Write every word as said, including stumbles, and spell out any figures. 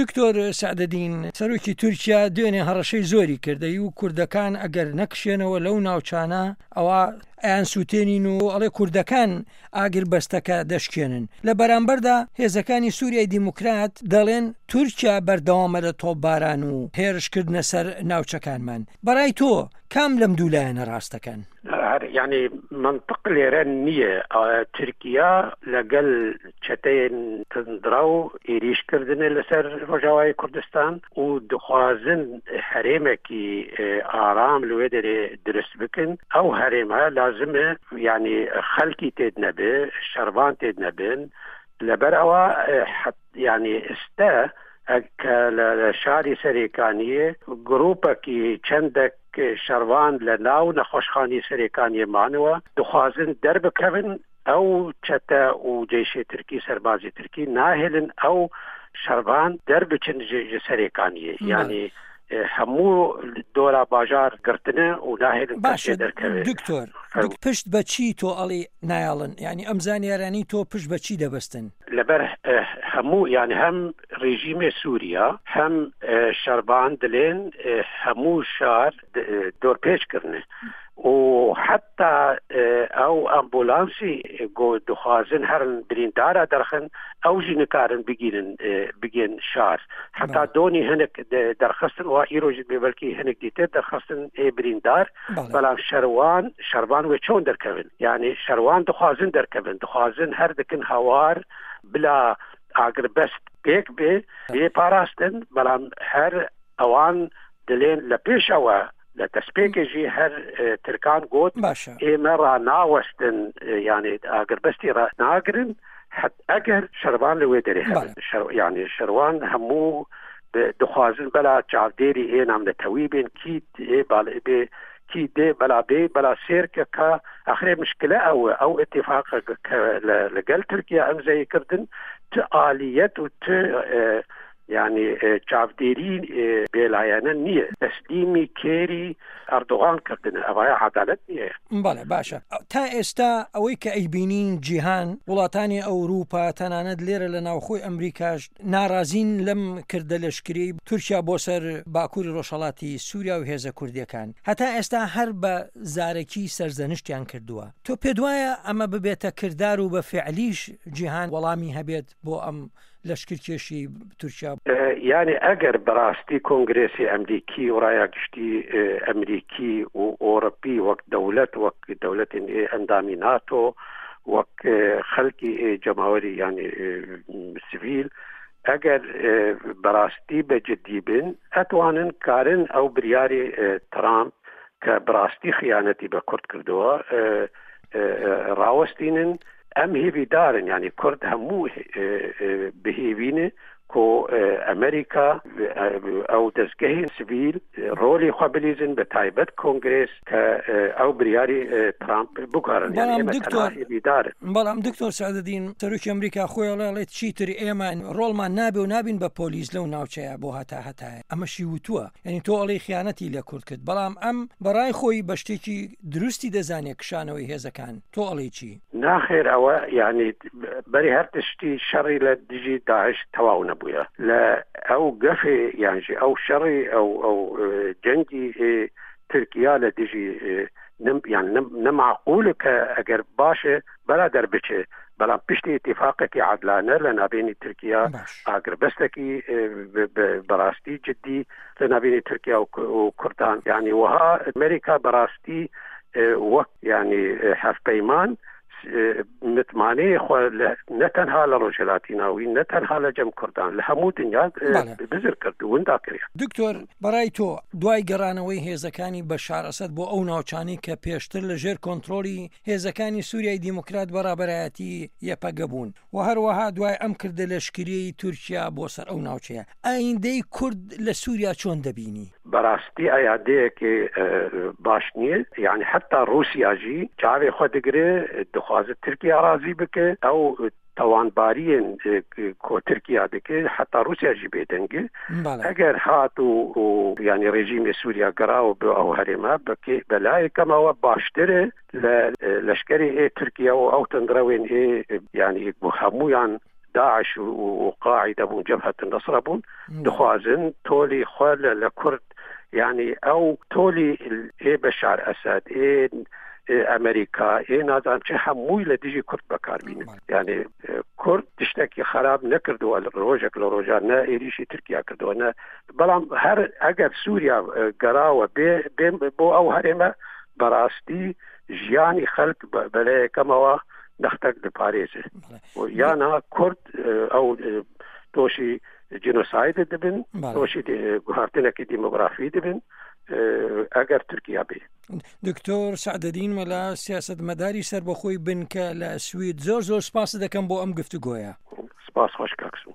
دکتۆر سەعدەدین، سەرۆکی تورکیا دوێنێ هەڕەشەی زۆری کردەی و کوردەکان ئەگەر نەکشێنەوە لەو ناوچانە ئەوە ئەیان سووتێنین و ئەڵێ کوردەکان ئاگر بەستەکە دەشکێنن. لە بەرامبەردا هێزەکانی سووریای دیموکرات دەڵێن تورکیا بەردەوامە لە تۆپباران و هێرشکردنە سەر ناوچەکانمان. بەڕای تۆ کام لەم دوو لایەنە ڕاستەکەن؟ یعنی منطق لێرە نییە. تورکیا لەگەل چەتەیەن تندڕەو ئێریشکردنە لەسەر ڕۆژاوای کوردستان و دخوازن هەرێمێکی ئارام لەوێ دەرێ درست بکەن. ئەو هەرێمە لازمە یعنی خەڵکی تێد نەبێ، شەرڤان تێد نەبن. لەبەر ئەوە یعنی ئێستا کە لە شاری سەرێکانیە گروپێکی چەندێک شەروان لە ناو نەخۆشخانی سەرێکانیە مانەوە دخوازن دەربکەون. ئەو چەتە و جەیشی تورکی سەربازی تورکی ناهێلن ئەو شەروان دەربچن ji سەرێکانیە، یعنی هەموو دۆرا باژار گرتنە و ناهێلن باشە دەرکەوێت. دکتۆر، پشت بە چی تۆ ئەڵێ نایاڵن؟ یعنی ئەم زانیارانی تۆ پشت بە چی دەبەستن؟ لەبەر هەموو یعنی هەم ڕژیمی سووریا هەم شەربان دلێن هەموو شار دۆرپێچکردنە و حتی ئەو ئەمبولانسی گۆ دخوازن هەرن بریندارە دەرخن ئەو ژی نکارن بگیرن بگێن شار. حتی دۆنی هەنێک دەرخستن و ئیرۆژ بێ بەلکی هەنێک دیتر دەرخستن ئێ بریندار، بەڵام شەروان شەروان وێ چۆن دەرکەون؟ یعنی شەروان دخوازن دەرکەون، دخوازن هەر دەکەن هاوار بلا ئاگربەست پێک بێ بێ پاراستن، بەڵام هەر ئەوان دلێن لە پێشەوە لە دەستپێکێژی هەر ترکان گوت ئێمە ڕاناوەستن، یعنی ئاگربەستی ڕاناگرن ئەگەر شەروان لەوێ دەرێ هەبن. یعنی شەروان هەموو دخوازن بەلا چاودێری ئێ نامنەتەوی بێن کی بێ کی دێ بەلا بێ بەلا سێرکە کە ئەخرێ مشکلە ئەوە ئەو ئیتیفاقە کە لەگەل تورکیا ئەمزەی کردن ت ئالیەت و ت یعنی چاودێری بێلایەنە نییە، تەسلیمی کێری ئەردۆغان کردنە، ئەوەیە عەدالەت نییە. بەڵێ باشە. تا ئێستا ئەوەی کە ئەیبینین جیهان، وڵاتانی ئەوروپا، تەنانەت لێرە لە ناوخۆی ئەمریکاش ناڕازین لەم کردە لەشکری تورکیا بۆ سەر باکووری ڕۆژهەڵاتی سووریا و هێزە کوردیەکان. هەتا ئێستا هەر بە زارەکی سەرزەنشتیان کردووە. تۆ پێت وایە ئەمە ببێتە کردار و بە فعلیش جیهان وەڵامی هەبێت بۆ ئەم لەشکرکێشی تورکیا؟ یعنی ئەگەر بەڕاستی کۆنگرێسی ئەمریکی و ڕایا گشتی ئەمریکی و ئەوروپی وەک دەولەت، وەک دەولەتێن ئەندامی ناتۆ، وەک خەڵکی جەماوەری یعنی سڤیل، ئەگەر بەڕاستی بە جدی بن ئەتوانن کارن ئەو بریاری ترامپ کە بەڕاستی خیانەتی بە کورد کردووە ڕاوەستینن. ئەم هێویدارن، یعنی کورد هەموو بهێوینە کۆ ئەمریکا ئەو دەستگەهی سڤیل ڕۆلی خوا بلیزن بە تایبەت کۆنگرێس کە ئەو بریاری ترامپ بگارن. بەڵام دکتۆر بەڵام دکتۆر سەعدەدین، سەرۆکی ئەمریکا خۆی ئەڵێ چیتر ئێمە ڕۆڵمان نابێ و نابین بە پۆلیس لەو ناوچەیە بۆ هەتا هەتایە. ئەمەشی وتووە، یعنی تۆ ئەڵێی خیانەتی لە کورد کرد، بەڵام ئەم بەڕای خۆی بە شتێکی دروستی دەزانێت کشانەوەی هێزەکان. تۆ ئەڵێی چی؟ ناخێر ئەوە یعنی بەری هەر تشتی شەڕی لە دژی داعش تەواو نەبووە. لە ئەو گەفێ یانژی ئەو شەڕی ئەو ئەو جەنگی تورکیا لە دژی یان نەمعقولە کە ئەگەر باشە بەلا دەربچێ، بەڵام پشتی ئیتیفاقێکی عادلانە لە نابینی تورکیا، ئاگربەستێکی بەڕاستی جدی لە نابینی تورکیا و کوردان. یعنی وەها ئەمریکا بەڕاستی وەک یعنی هەڤپەیمان متمانەی خۆ نە تەنها لە ڕۆژهەڵاتی ناوین، نە تەنها لە جەم کوردان، لە هەموو دنیا بزر کرد و وندا کرد. دکتۆر، بەڕای تۆ دوای گەڕانەوەی هێزەکانی بەشار ئەسەد بۆ ئەو ناوچانەی کە پێشتر لە ژێر کۆنترۆڵی هێزەکانی سووریای دیموکرات بەڕابەرایەتی یەپەگە بوون و هەروەها دوای ئەم کردە لەشکریەی تورکیا بۆ سەر ئەو ناوچەیە، ئایندەی کورد لە سووریا چۆن دەبینی؟ بەڕاستی ئایادەیەکی باش نییە. یعنی حتا ڕووسیاژی چاوێ خۆ دەگرێ، دخوازێت تورکیا ڕازی بکە، ئەو تاوانباریên کو تورکیا دکە، حتا ڕووسیاژی بێدەنگە. ئەگەر هات و یعنی ڕژیمی سووریا گەڕاوە بۆ ئەو هەرێمە بەلایەکەمەوە باشترە لە لەشکری ئێ تورکیا و ئەو تەندڕەوێن ئێ یعنی بۆ هەمویان داعش و قاعدە بوون، جەبهەت نەسرە بوون، دخوازن تۆلی خۆ لە کورد، یعنی ئەو تۆلی ئێ بەشار ئەسەد، ئێ ئەمریکا، ئێ نازانم چه، هەمووی لە دژی کورد بەکاربینن. یعنی کورد تشتێکی خراپ نەکردووە ڕۆژێک لە ڕۆژان، نە ئێریشی تورکیا کردووە نە، بەڵام هەر ئەگەر سووریا گەراوە بێ بێ بۆ ئەو هەرێمە، بەڕاستی ژیانی خەلک بەلایەکەمەوە نەختەک دەپارێزێ، یانە کورد ئەو تۆشی جینۆساید دەبن، تۆشی گوهارتنێکی دیمۆگرافی دەبن ئەگەر تورکیا بێ. دکتۆر سەعدەدین مەلا، سیاستمەداری سەربەخۆی بنکە لە سوید، زۆر زۆر سپاس دەکەم بۆ ئەم گفتوگۆیە. سپاس، خۆش کاکسوو.